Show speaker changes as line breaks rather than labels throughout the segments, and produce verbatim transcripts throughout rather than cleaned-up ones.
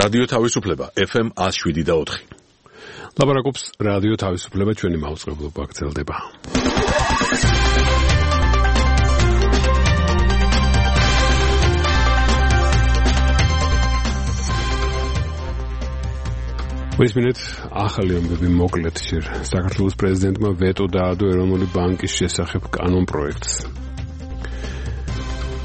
რადიო თავისუფლება F M one oh seven და four.
ლაპარაკობს რადიო თავისუფლება, ჩვენი მაუწყებლობა გრძელდება. მისმინეთ ახალი ამბები მოკლედ ჯერ საქართველოს პრეზიდენტმა ვეტო დაადო ეროვნული ბანკის შესახებ კანონპროექტს.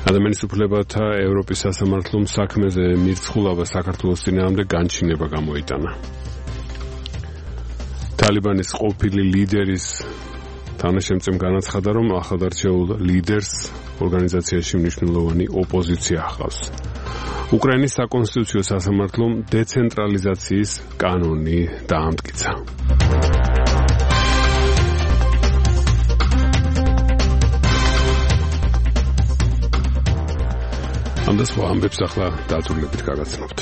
ადამიანის უფლებათა ევროპის სასამართლომ საქმეზე მირცხულობა საქართველოს წინააღმდეგ განჩინება გამოიტანა. ტალიბანის ყოფილი ლიდერის თანაშემწემ განაცხადა, რომ ახალდარჩეულ ლიდერს ორგანიზაციაში მნიშვნელოვანი ოპოზიცია ჰყავს. უკრაინის საკონსტიტუციო სასამართლომ დეცენტრალიზაციის კანონი დაამტკიცა. ამ და სხვა ამბებს ახლა დაწვრილებით გაგაცნობთ.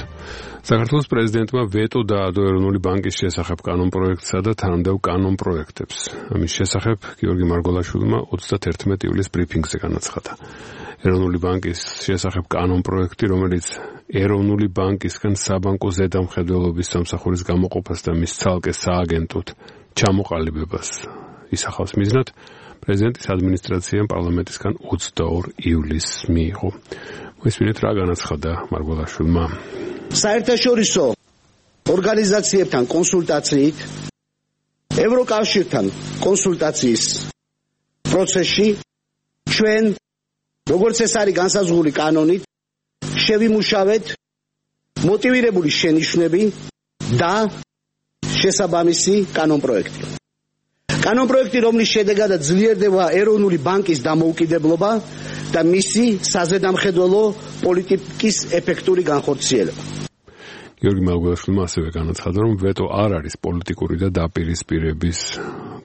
საქართველოს პრეზიდენტმა ვეტო დაადო ეროვნული ბანკის შესახებ კანონპროექტსა და თანამდებობ კანონპროექტებს. ამის შესახებ გიორგი მარგოლაშვილმა თერთმეტი ივლისის ბრიფინგზე განაცხადა. ეროვნული ბანკის შესახებ კანონპროექტი, რომელიც ეროვნული ბანკისგან საბანკო ზედამხედველობის სამსახურის გამოყოფას და მის ცალკე სააგენტოდ ჩამოყალიბებას ისახავს მიზნად, პრეზიდენტის ადმინისტრაციამ პარლამენტისგან ოცდაორ ივლისს მიიღო. მისმინეთ რა განაცხადა მარგოლაშვილმა.
საერთაშორისო ორგანიზაციებთან კონსულტაციით, ევროკავშირთან კონსულტაციის პროცესში ჩვენ, როგორც ეს არის განსაზღვრული კანონით, შევიმუშავეთ მოტივირებული შენიშვნები და შესაბამისი კანონპროექტი. კანონპროექტი, რომლის შედეგადაც ძლიერდება ეროვნული ბანკის დამოუკიდებლობა და მისი საზედამხედველო პოლიტიკის ეფექტური განხორციელება.
გიორგი მარგოლაშვილმა ასევე განაცხადა, რომ ვეტო არ არის პოლიტიკური და დაპირისპირების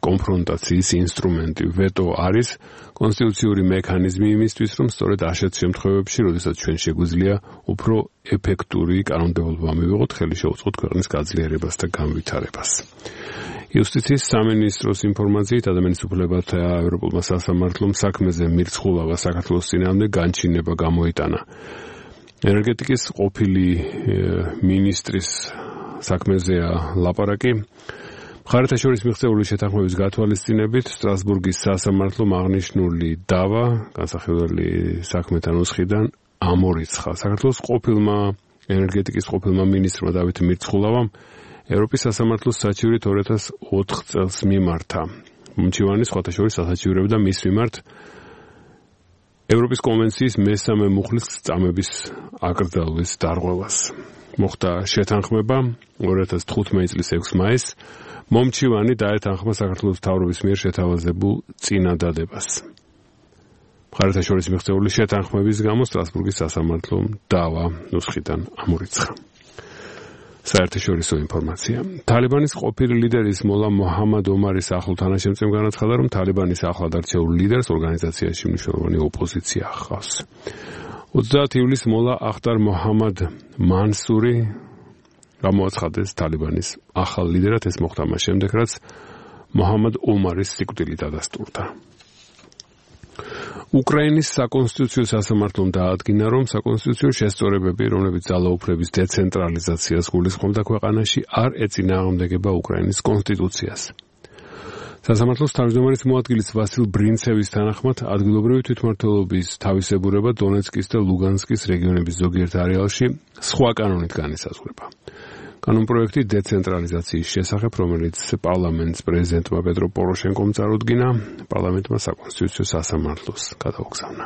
კონფრონტაციის ინსტრუმენტი. ვეტო არის კონსტიტუციური მექანიზმი იმისთვის, რომ სწორედ ასეთ შემთხვევებში, როდესაც ჩვენ შეგვიძლია უფრო ეფექტური კანონმდებლობა მივიღოთ, ხელი შეუწყოთ ქვეყნის გაძლიერებას და განვითარებას. იუსტიციის სამინისტროს ინფორმაციით, ადამიანის უფლებათა ევროპულმა სასამართლომ საქმეზე მირცხულობა საქართველოს წინააღმდეგ განჩინება გამოიტანა. ენერგეტიკის ყოფილი მინისტრის საქმეზეა ლაპარაკი. მხარეთა შორის მიღწეული შეთანხმების გათვალისწინებით სტრასბურგის სასამართლომ აღნიშნული დავა განსახილველი საქმეთა ნუსხიდან ამორიცხა. საქართველოს ყოფილმა ენერგეტიკის ყოფილმა მინისტრმა დავით მირცხულავამ ევროპის სასამართლოს საჩივრით ორი ათას ოთხ წელს მიმართა. მომჩივანი სხვათა შორის ასაჩივრებდა მის მიმართ ევროპის კონვენციის მესამე მუხლის წამების აკრძალვის დარღვევას. მოხდა შეთანხმება ორი ათას თხუთმეტი წლის ექვსი მაისს. მომჩივანი დაეთანხმა საქართველოს მთავრობის მიერ შეთავაზებულ წინადადებას. მხარეთა შორის მიღწეული შეთანხმების გამო სტრასბურგის სასამართლომ დავა ნუსხიდან ამორიცხა. საერთაშორისო ინფორმაცია. ტალიბანის ყოფილი ლიდერის მოლა მოჰამად ომარის ახლო თანაშემწემ განაცხადა, რომ ტალიბანის ახლად არჩეულ ლიდერს ორგანიზაციაში მნიშვნელოვანი ოპოზიცია ჰყავს. ოცდაათი ივლისს მოლა ახტარ მოჰამად მანსური გამოაცხადეს ტალიბანის ახალ ლიდერად. ეს მოხდა მას შემდეგ, რაც მოჰამად ომარის სიკვდილი დადასტურდა. უკრაინის საკონსტიტუციო სასამართლომ დაადგინა, რომ საკონსტიტუციო შესწორებები, რომლებიც ძალაუფლების დეცენტრალიზაციას გულისხმობდა ქვეყანაში, არ ეწინააღმდეგება უკრაინის კონსტიტუციას. სასამართლოს თავმჯდომარის მოადგილის ვასილ ბრინცევის თანახმად, ადგილობრივი თვითმმართველობის თავისებურება დონეცკის და ლუგანსკის რეგიონების ზოგიერთ არეალში სხვა კანონით განისაზღვრება. კანონპროექტი დეცენტრალიზაციის შესახებ, რომელიც პარლამენტს პრეზიდენტმა პეტრო პოროშენკომ წარუდგინა, პარლამენტმა საკონსტიტუციო სასამართლოს გადაუგზავნა.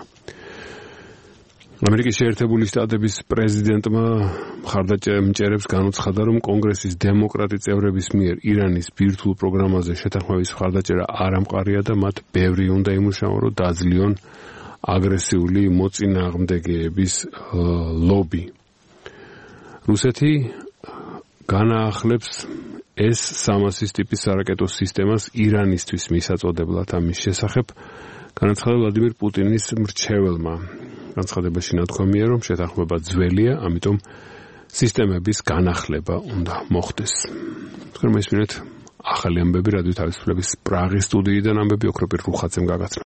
ამერიკის შეერთებული შტატების პრეზიდენტმა მხარდამჭერებს განუცხადა, რომ კონგრესის დემოკრატი წევრების მიერ ირანის ბირთვულ პროგრამაზე შეთანხმების მხარდაჭერა არ ამყარია და მათ ბევრი უნდა იმუშაონ, რომ დაძლიონ აგრესიული მოწინააღმდეგეების ლობი. რუსეთი განაახლებს ეს სამასის ტიპის სარაკეტო სისტემას ირანისთვის მისაწოდებლად. ამის შესახებ განაცხადა ვლადიმერ პუტინის მრჩეველმა. განცხადებაში ნათქვამია, რომ შეთანხმება ძველია, ამიტომ სისტემების განახლება უნდა მოხდეს. თქვენ მისმინეთ ახალი ამბები რადიო თავისუფლების პრაღის სტუდიიდან ამბები ოქროპირ რუხაძემ გაგაცნო.